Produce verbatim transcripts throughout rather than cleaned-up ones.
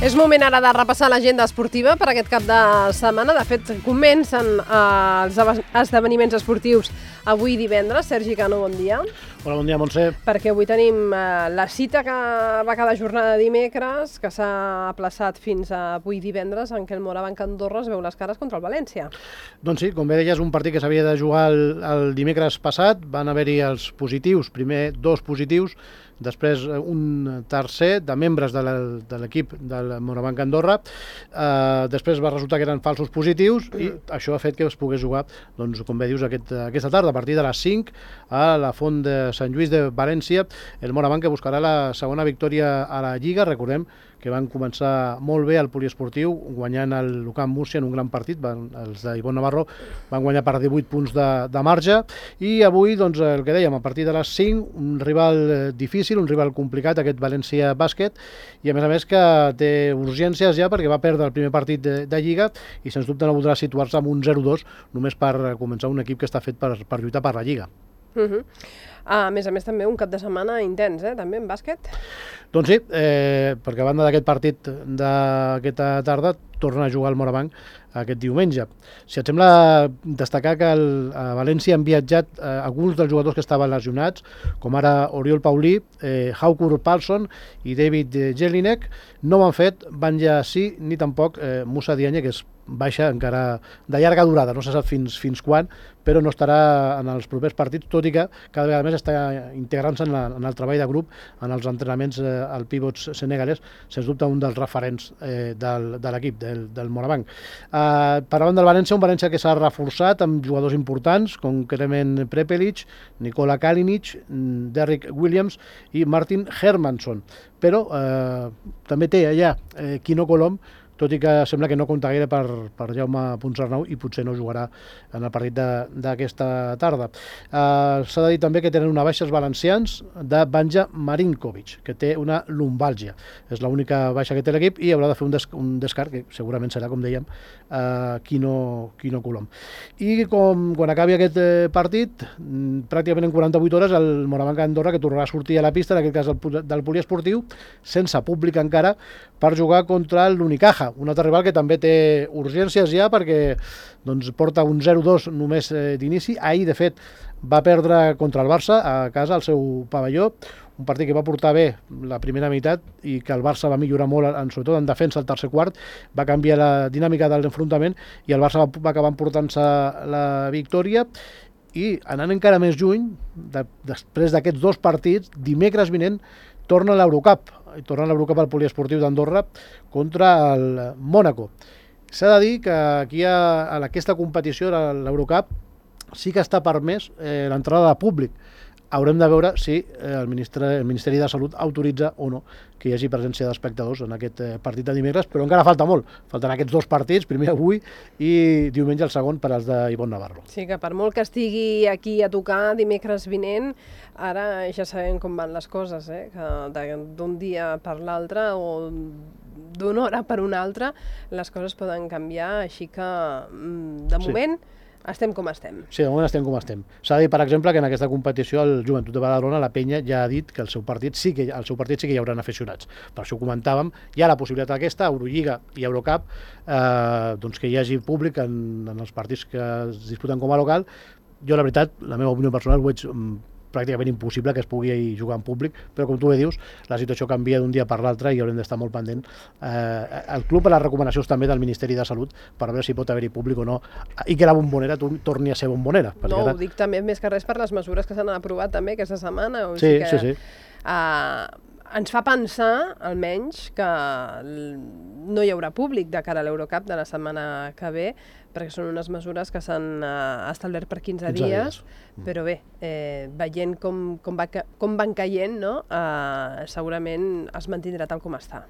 És moment ara de repassar l'agenda esportiva per aquest cap de setmana. De fet, comencen eh, els esdeveniments esportius avui divendres. Sergi Cano, bon dia. Hola, bon dia, Montse. Perquè avui tenim eh, la cita que va cada jornada de dimecres, que s'ha aplaçat fins a avui divendres, en què el Morabanc Andorra es veu les cares contra el València. Doncs sí, com bé deies, un partit que s'havia de jugar el, el dimecres passat. Van haver-hi els positius, primer dos positius, després un tercer de membres de l'equip del Morabanc Andorra. Eh, després va resultar que eren falsos positius i això ha fet que es pogués jugar, doncs, com bé dius, aquest, aquesta tarda, a partir de les cinc, a la Font de Sant Lluís de València. El Morabanc que buscarà la segona victòria a la Lliga. Recordem que van començar molt bé al poliesportiu, guanyant el Lucam Múrcia en un gran partit. Van, els d'Ivonne Navarro van guanyar per divuit punts de, de marge. I avui, doncs, el que dèiem, a partir de les cinc, un rival difícil, un rival complicat, aquest València Bàsquet, i a més a més que té urgències ja perquè va perdre el primer partit de, de Lliga i sens dubte no voldrà situar-se amb un zero dos només per començar un equip que està fet per, per lluitar per la Lliga. Uh-huh. A més a més també un cap de setmana intens, eh, també en bàsquet. Doncs sí, eh, perquè a banda d'aquest partit d'aquesta tarda torna a jugar el Morabanc aquest diumenge. Si et sembla destacar que el, a València han viatjat eh, alguns dels jugadors que estaven lesionats, com ara Oriol Paulí, eh, Haukur Palsson i David Jelinek. No ho han fet Banja Sí ni tampoc eh, Musa Diagne, que és baixa encara de llarga durada, no se sap fins, fins quan, però no estarà en els propers partits, tot i que cada vegada més està integrant-se en, en el treball de grup, en els entrenaments eh, al pivots senegalès, sens dubte un dels referents eh, del, de l'equip, del, del Morabanc. Eh, parlant del València, un València que s'ha reforçat amb jugadors importants, concretament Prepelic, Nikola Kalinic, Derrick Williams i Martin Hermansson, però eh, també té allà eh, Quino Colom, tot i que sembla que no compta gaire per, per Jaume Ponsarnau i potser no jugarà en el partit d'aquesta tarda. Uh, S'ha de dir també que tenen una baixa els valencians de Banja Marinkovic, que té una lumbàlgia. És l'única baixa que té l'equip i haurà de fer un, des un descart, que segurament serà, com dèiem, uh, Quino, Quino Colom. I com, quan acabi aquest eh, partit, pràcticament en quaranta-vuit hores, el Morabanc Andorra, que tornarà a sortir a la pista, en aquest cas del, del poliesportiu, sense públic encara, per jugar contra l'Unicaja, un altre rival que també té urgències ja perquè doncs, porta un zero dos només eh, d'inici. Ahir, de fet, va perdre contra el Barça a casa, al seu pavelló, un partit que va portar bé la primera meitat i que el Barça va millorar molt, en, sobretot en defensa, el tercer quart, va canviar la dinàmica de l'enfrontament i el Barça va, va acabar emportant-se la victòria. I anant encara més juny, de, després d'aquests dos partits, dimecres vinent torna a l'Eurocup, i torna a l'Eurocup al poliesportiu d'Andorra contra el Mònaco. S'ha de dir que aquí a, a aquesta competició, a l'Eurocup, sí que està permès eh, l'entrada de públic. Haurem de veure si eh, el, ministre, el Ministeri de Salut autoritza o no que hi hagi presència d'espectadors en aquest eh, partit de dimecres, però encara falta molt. Falten aquests dos partits, primer avui i diumenge el segon per als d'Ivonne Navarro. Sí, que per molt que estigui aquí a tocar dimecres vinent, ara ja sabem com van les coses, eh? Que d'un dia per l'altre o d'una hora per una altra les coses poden canviar, així que de moment... Sí. Estem com estem. Sí, de moment estem com estem. S'ha de dir, per exemple, que en aquesta competició el Joventut de Badalona, la Penya, ja ha dit que el seu partit sí que, el seu partit sí que hi haurà aficionats. Per això ho comentàvem. Hi ha la possibilitat aquesta, Eurolliga i Eurocup, eh, doncs que hi hagi públic en, en els partits que es disputen com a local. Jo, la veritat, la meva opinió personal, ho veig pràcticament impossible que es pugui jugar en públic, però com tu bé dius, la situació canvia d'un dia per l'altre i haurem d'estar molt pendent. Eh, el club a les recomanacions també del Ministeri de Salut per veure si pot haver-hi públic o no i que la bombonera torni a ser bombonera. No, ara... ho dic també més que res per les mesures que s'han aprovat també aquesta setmana. O sí, sigui que, sí, sí. Uh, ens fa pensar, almenys, que no hi haurà públic de cara a l'Eurocup de la setmana que ve, perquè són unes mesures que s'han uh, establert per quinze, quinze dies, dies, però bé, eh, veient com, com, va, com van caient, no? uh, segurament es mantindrà tal com està.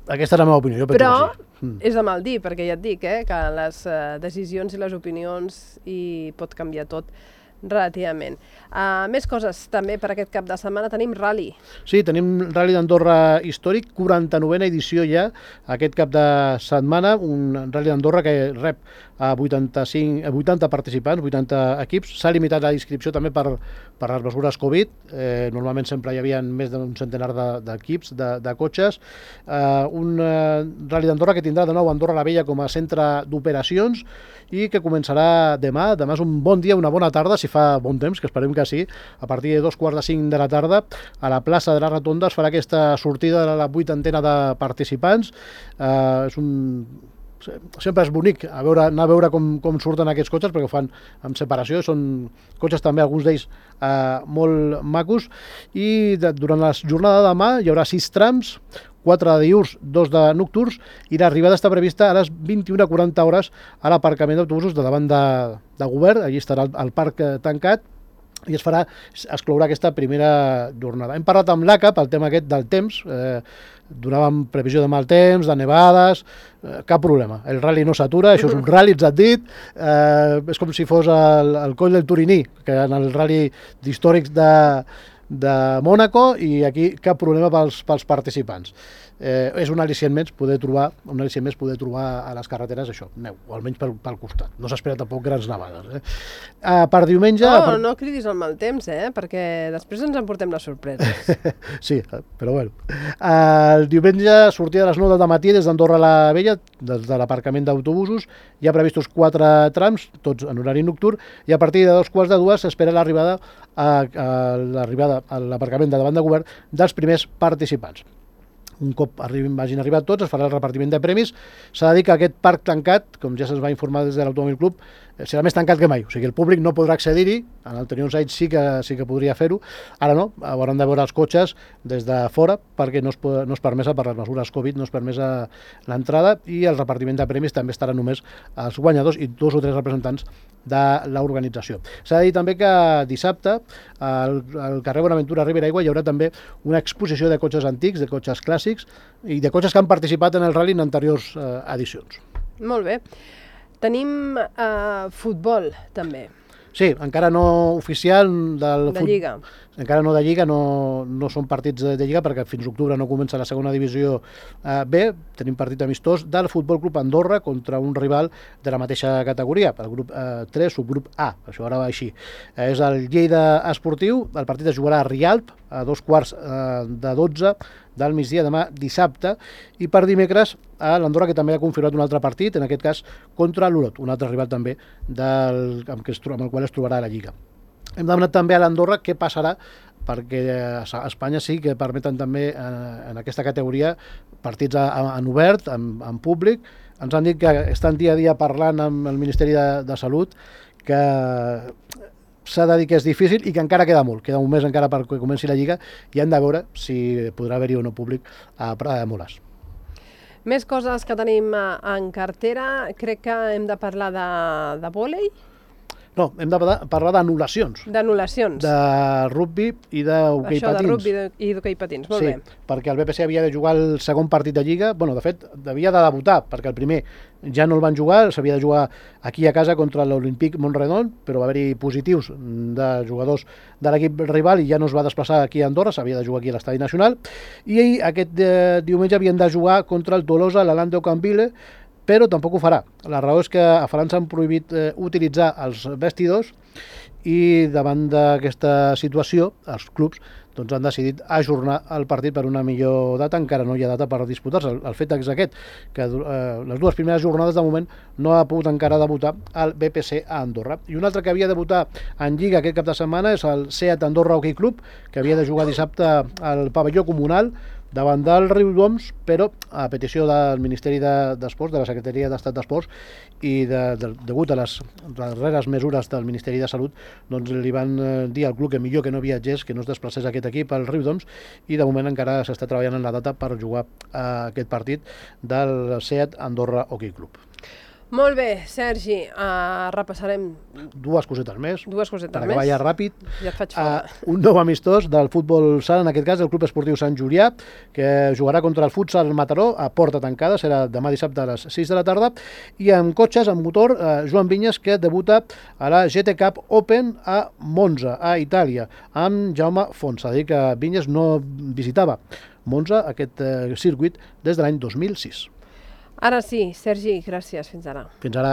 Aquesta és la meva opinió. Jo però mm. és de mal dir, perquè ja et dic eh, que les uh, decisions i les opinions i pot canviar tot relativament. Uh, més coses també per aquest cap de setmana. Tenim rally. Sí, tenim Rally d'Andorra històric, quaranta-novena edició ja, aquest cap de setmana, un Rally d'Andorra que rep a vuitanta-cinc, a vuitanta participants, vuitanta equips. S'ha limitat la inscripció també per, per les mesures Covid. Eh, normalment sempre hi havia més d'un centenar d'equips, de, de, de cotxes. Eh, un eh, Rally d'Andorra que tindrà de nou Andorra la Vella com a centre d'operacions i que començarà demà. Demà és un bon dia, una bona tarda, si fa bon temps, que esperem que sí. A partir de dos quarts de cinc de la tarda, a la plaça de la Rotonda es farà aquesta sortida de la vuitantena de participants. Eh, és un... Sempre és bonic a veure, anar a veure com, com surten aquests cotxes, perquè ho fan amb separació, són cotxes també, alguns d'ells eh, molt macos, i de, durant la jornada de demà hi haurà sis trams, quatre de diürns, dos de nocturns, i l'arribada està prevista a les vint-i-una quaranta hores a l'aparcament d'autobusos de davant de, de govern. Allí estarà el, el parc eh, tancat, i es farà, es clourà aquesta primera jornada. Hem parlat amb l'A C A pel tema aquest del temps, eh, donàvem previsió de mal temps, de nevades, eh, cap problema. El rally no s'atura, això és un rally, ens han dit, eh, és com si fos el, el coll del Turiní, que en el rally d'històrics de, de Mònaco, i aquí cap problema pels, pels participants. Eh, és un al·licient més poder trobar un al·licient més poder trobar a les carreteres això, neu, o almenys pel, pel costat. No s'espera tampoc grans nevades. Eh? Eh, per diumenge... No, per... no cridis el mal temps, eh? Perquè després ens emportem les sorpreses. Sí, però bueno. Eh, el diumenge sortida a les nou del matí des d'Andorra la Vella, des de l'aparcament d'autobusos. Hi ha previstos quatre trams, tots en horari nocturn, i a partir de dos quarts de dues s'espera l'arribada a, a l'arribada a l'aparcament de davant de govern dels primers participants. Un cop arribin, vagin arribat tots, es farà el repartiment de premis. S'ha de dir que aquest parc tancat, com ja se'ns va informar des de l'Automòbil Club, serà més tancat que mai. O sigui, el públic no podrà accedir-hi. En anteriors anys sí que, sí que podria fer-ho. Ara no, hauran de veure els cotxes des de fora, perquè no es, no es permesa, per les mesures Covid, no es permesa l'entrada, i el repartiment de premis també estarà només als guanyadors i dos o tres representants de l'organització. S'ha de dir també que dissabte al, al carrer Bonaventura Ribera Aigua hi haurà també una exposició de cotxes antics, de cotxes clàssics i de cotxes que han participat en el rally en anteriors eh, edicions. Molt bé. Tenim eh, futbol, també. Sí, encara no oficial del de fut... Lliga. Encara no de Lliga, no, no són partits de, de Lliga, perquè fins octubre no comença la segona divisió eh, B. Tenim partit amistós del Futbol Club Andorra contra un rival de la mateixa categoria, el grup eh, tres, subgrup A, això ara va així. Eh, és el Lleida Esportiu, el partit es jugarà a Rialp, a dos quarts eh, de dotze del migdia demà dissabte, i per dimecres a l'Andorra, que també ha confirmat un altre partit, en aquest cas contra l'Olot, un altre rival també del, amb, que es, amb el qual es trobarà a la Lliga. Hem demanat també a l'Andorra què passarà, perquè a Espanya sí que permeten també en, en aquesta categoria partits en obert, en, en públic. Ens han dit que estan dia a dia parlant amb el Ministeri de, de Salut, que s'ha de dir que és difícil i que encara queda molt, queda un mes encara perquè comenci la Lliga, i hem de veure si podrà haver-hi o no públic a Prada de Moles. Més coses que tenim en cartera, crec que hem de parlar de, de vòlei. No, hem de parlar d'anul·lacions. D'anul·lacions. De rugbi i d'hoquei patins. Això de rugbi i d'hoquei patins, molt sí, bé. Sí, perquè el B P C havia de jugar el segon partit de Lliga, bueno, de fet, havia de debutar, perquè el primer ja no el van jugar, s'havia de jugar aquí a casa contra l'Olímpic Montredon, però va haver-hi positius de jugadors de l'equip rival i ja no es va desplaçar aquí a Andorra, s'havia de jugar aquí a l'Estadi Nacional, i aquest eh, diumenge havien de jugar contra el Tolosa, l'Alande Ocamville, però tampoc ho farà. La raó és que a França han prohibit eh, utilitzar els vestidors i davant d'aquesta situació els clubs doncs, han decidit ajornar el partit per una millor data, encara no hi ha data per disputar-se. El, el fet és aquest, que eh, les dues primeres jornades de moment no ha pogut encara debutar el B P C a Andorra. I un altre que havia de debutar en Lliga aquest cap de setmana és el SEAT Andorra Hockey Club, que havia de jugar dissabte al pavelló comunal davant del Riudoms, però a petició del Ministeri d'Esports, de la Secretaria d'Estat d'Esports, i de, de, degut a les darreres mesures del Ministeri de Salut, doncs li van dir al club que millor que no viatgés, que no es desplacés aquest equip al Riudoms, i de moment encara s'està treballant en la data per jugar a aquest partit del SEAT Andorra Hockey Club. Molt bé, Sergi, uh, repassarem Dues cosetes més. dues cosetes per més. acabar ja ràpid. Ja et faig fora. Uh, un nou amistós del futbol sala, en aquest cas el Club Esportiu Sant Julià, que jugarà contra el futsal Mataró a porta tancada, serà demà dissabte a les sis de la tarda, i amb cotxes, amb motor, uh, Joan Vinyes, que debuta a la G T Cup Open a Monza, a Itàlia, amb Jaume Font. S'ha de dir que Vinyes no visitava Monza, aquest uh, circuit, des de l'any dos mil sis. Ara sí, Sergi, gràcies. Fins ara. Fins ara.